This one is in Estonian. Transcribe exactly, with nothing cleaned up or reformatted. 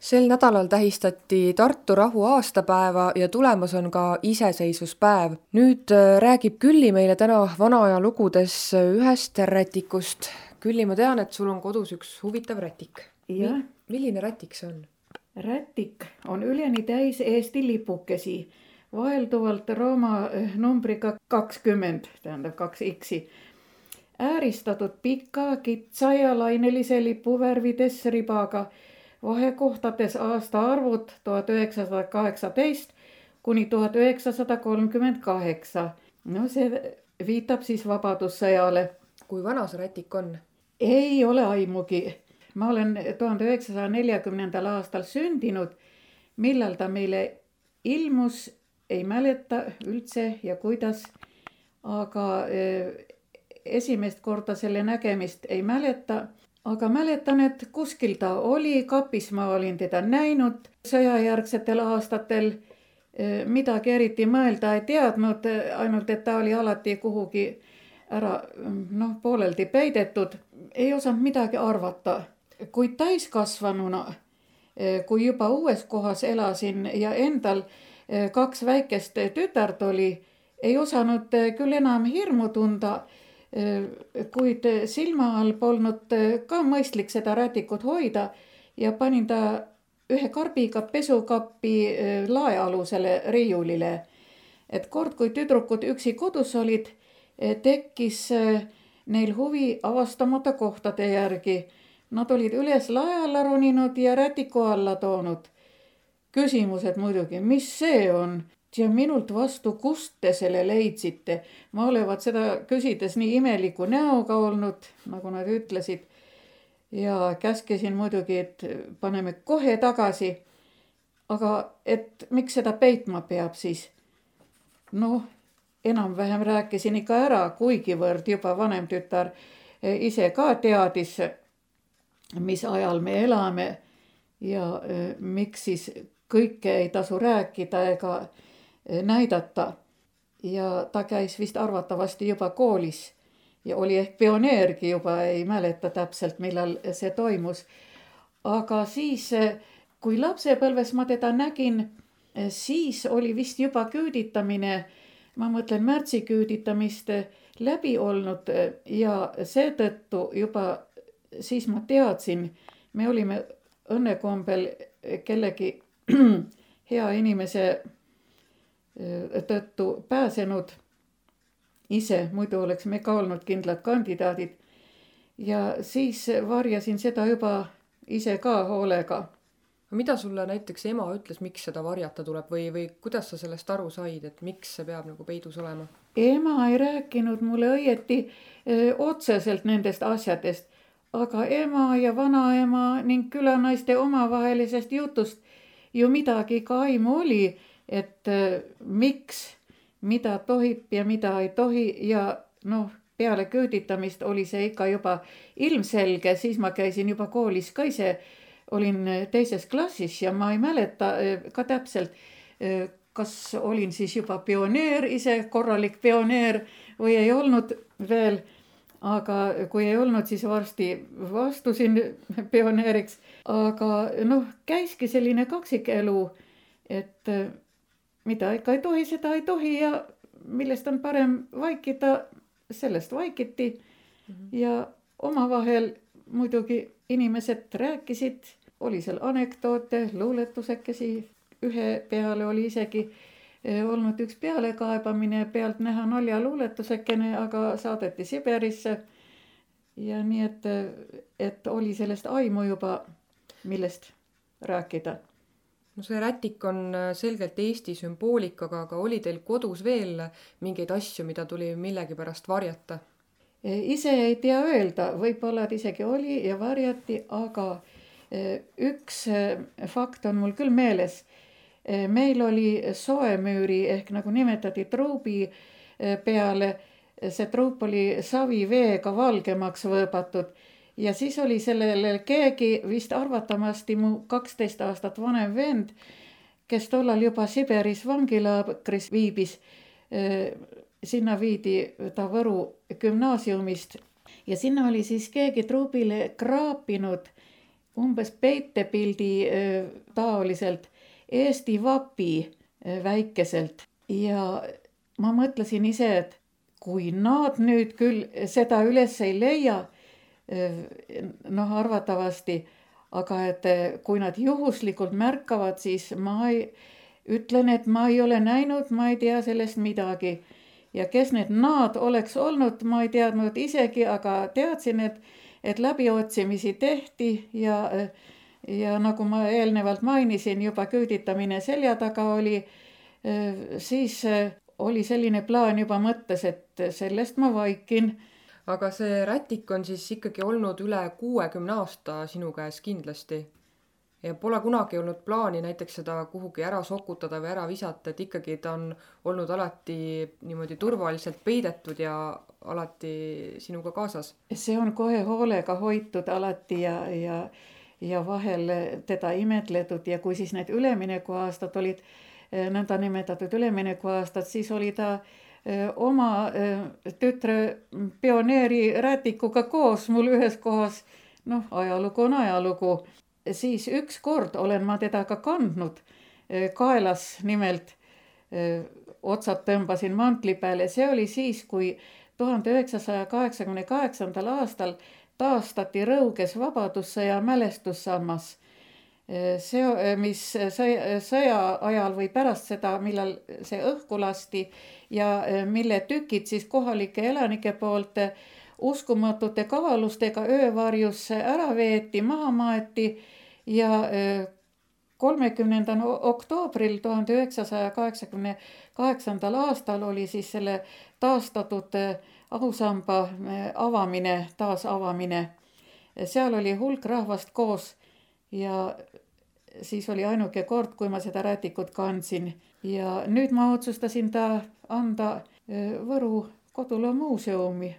Sel nädalal tähistati Tartu rahu aastapäeva ja tulemas on ka iseseisvuspäev. Nüüd räägib Külli meile täna vanaaja lugudes ühest rätikust. Külli, ma tean, et sul on kodus üks huvitav rätik. Ja. Milline rätik see on? Rätik on üleni täis Eesti lipukesi, vaelduvalt Rooma numbriga kakskümmend, tähendab kaks X-i. Ääristatud pika, kitsa ja lainelise lipuvärvides ribaga, vahekohtades aastaarvud tuhat üheksasada kaheksateist kuni tuhat üheksasada kolmkümmend kaheksa. No see viitab siis vabadussõjale. Kui vana see rätik on? Ei ole aimugi. Ma olen tuhande üheksasaja neljakümnendal aastal sündinud, millal ta meile ilmus, ei mäleta üldse ja kuidas, aga esimest korda selle nägemist ei mäleta, aga mäletan, et kuskil ta oli, kapis ma olin teda näinud sõjajärgsetel aastatel, midagi eriti mõelda ei teadnud, ainult et ta oli alati kuhugi ära noh, pooleldi peidetud, ei osanud midagi arvata. Kuid täiskasvanuna, kui juba uues kohas elasin ja endal kaks väikest tütart oli, ei osanud küll enam hirmu tunda, kuid silma all polnud ka mõistlik seda rätikut hoida ja panin ta ühe karbiga pesukappi laealusele riiulile. Et kord, kui tüdrukud üksi kodus olid, tekkis neil huvi avastamata kohtade järgi. Nad olid üles lae alla roninud ja rätiku alla toonud. Küsimused muidugi, mis see on? Ja minult vastu, kust te selle leidsite? Ma olevat seda küsides nii imeliku näoga olnud, nagu nad ütlesid. Ja käskesin muidugi, et paneme kohe tagasi. Aga et miks seda peitma peab siis? Noh, enam-vähem rääkisin ikka ära, kuigivõrd juba vanem tütar ise ka teadis, mis ajal me elame ja miks siis kõike ei tasu rääkida ega näidata. Ja ta käis vist arvatavasti juba koolis ja oli ehk pioneergi juba, ei mäleta täpselt, millal see toimus. Aga siis, kui lapsepõlves ma teda nägin, siis oli vist juba küüditamine, ma mõtlen märtsi küüditamist läbi olnud ja seetõttu juba siis ma teadsin, me olime õnnekombel kellegi hea inimese tõttu pääsenud ise, muidu oleks me ka olnud kindlad kandidaadid. Ja siis varjasin seda juba ise ka hoolega. Mida sulle näiteks ema ütles, miks seda varjata tuleb või, või kuidas sa sellest aru said, et miks see peab nagu peidus olema? Ema ei rääkinud mulle õieti öö, otseselt nendest asjadest. Aga ema ja vanaema ning külanaiste omavahelisest jutust ju midagi ka aimu oli, et miks, mida tohib ja mida ei tohi ja noh, peale küüditamist oli see ikka juba ilmselge, siis ma käisin juba koolis ka ise, olin teises klassis ja ma ei mäleta ka täpselt, kas olin siis juba pioneer, ise korralik pioneer või ei olnud veel. Aga kui ei olnud, siis varsti vastusin pioneeriks. Aga noh, käiski selline kaksikelu, et mida ikka ei tohi, seda ei tohi ja millest on parem vaikida, sellest vaikiti. Mm-hmm. Ja omavahel muidugi inimesed rääkisid, oli seal anekdoote, luuletusekesi, ühe peale oli isegi olnud üks pealekaebamine, pealt näha nalja luuletusekene, aga saadeti Siberisse. Ja nii, et, et oli sellest aimu juba, millest rääkida. No see rätik on selgelt Eesti sümboolikaga, aga oli teil kodus veel mingeid asju, mida tuli millegi pärast varjata? Ise ei tea öelda, võib-olla isegi oli ja varjati, aga üks fakt on mul küll meeles. Meil oli soemüüri ehk nagu nimetati truubi peale, see truup oli saviveega valgemaks võõbatud ja siis oli sellele keegi vist arvatamasti mu kaksteist aastat vanem vend, kes tollal juba Siberis vangilaagris viibis. Sinna viidi ta Võru gümnaasiumist ja sinna oli siis keegi truubile kraapinud umbes peitepildi taoliselt Eesti vapi väikeselt ja ma mõtlesin ise, et kui nad nüüd küll seda üles ei leia, noh arvatavasti, aga et kui nad juhuslikult märkavad, siis ma ei, ütlen, et ma ei ole näinud, ma ei tea sellest midagi. Ja kes need nad oleks olnud, ma ei teadnud isegi, aga teadsin, et, et läbiotsimisi tehti ja, ja nagu ma eelnevalt mainisin, juba küüditamine selja taga oli, siis oli selline plaan juba mõttes, et sellest ma vaikin. Aga see rätik on siis ikkagi olnud üle kuuekümne aasta sinu käes kindlasti. Ja pole kunagi olnud plaani näiteks seda kuhugi ära sokutada või ära visata, et ikkagi ta on olnud alati niimoodi turvaliselt peidetud ja alati sinuga kaasas. See on kohe hoolega hoitud alati ja, ja, ja vahel teda imetletud ja kui siis need üleminekuaastad olid, nõnda nimetatud üleminekuaastad, siis oli ta oma tütre pioneeri rätikuga koos mul ühes kohas, noh ajalugu on ajalugu. Siis üks kord olen ma teda ka kandnud kaelas, nimelt otsad tõmbasin mantli peale. See oli siis, kui tuhande üheksasaja kaheksakümne kaheksandal aastal taastati Rõuges Vabadussõja mälestussammas. See, mis sõja ajal või pärast seda, millal see õhku lasti ja mille tükid siis kohalike elanike poolt uskumatute kavalustega öövarjus ära veeti, maha maeti ja kolmekümnendal oktoobril tuhande üheksasaja kaheksakümne kaheksandal aastal oli siis selle taastatud ausamba avamine, taasavamine. Seal oli hulk rahvast koos ja siis oli ainuke kord, kui ma seda rätikut kandsin ja nüüd ma otsustasin ta anda Võru Koduloo muuseumi.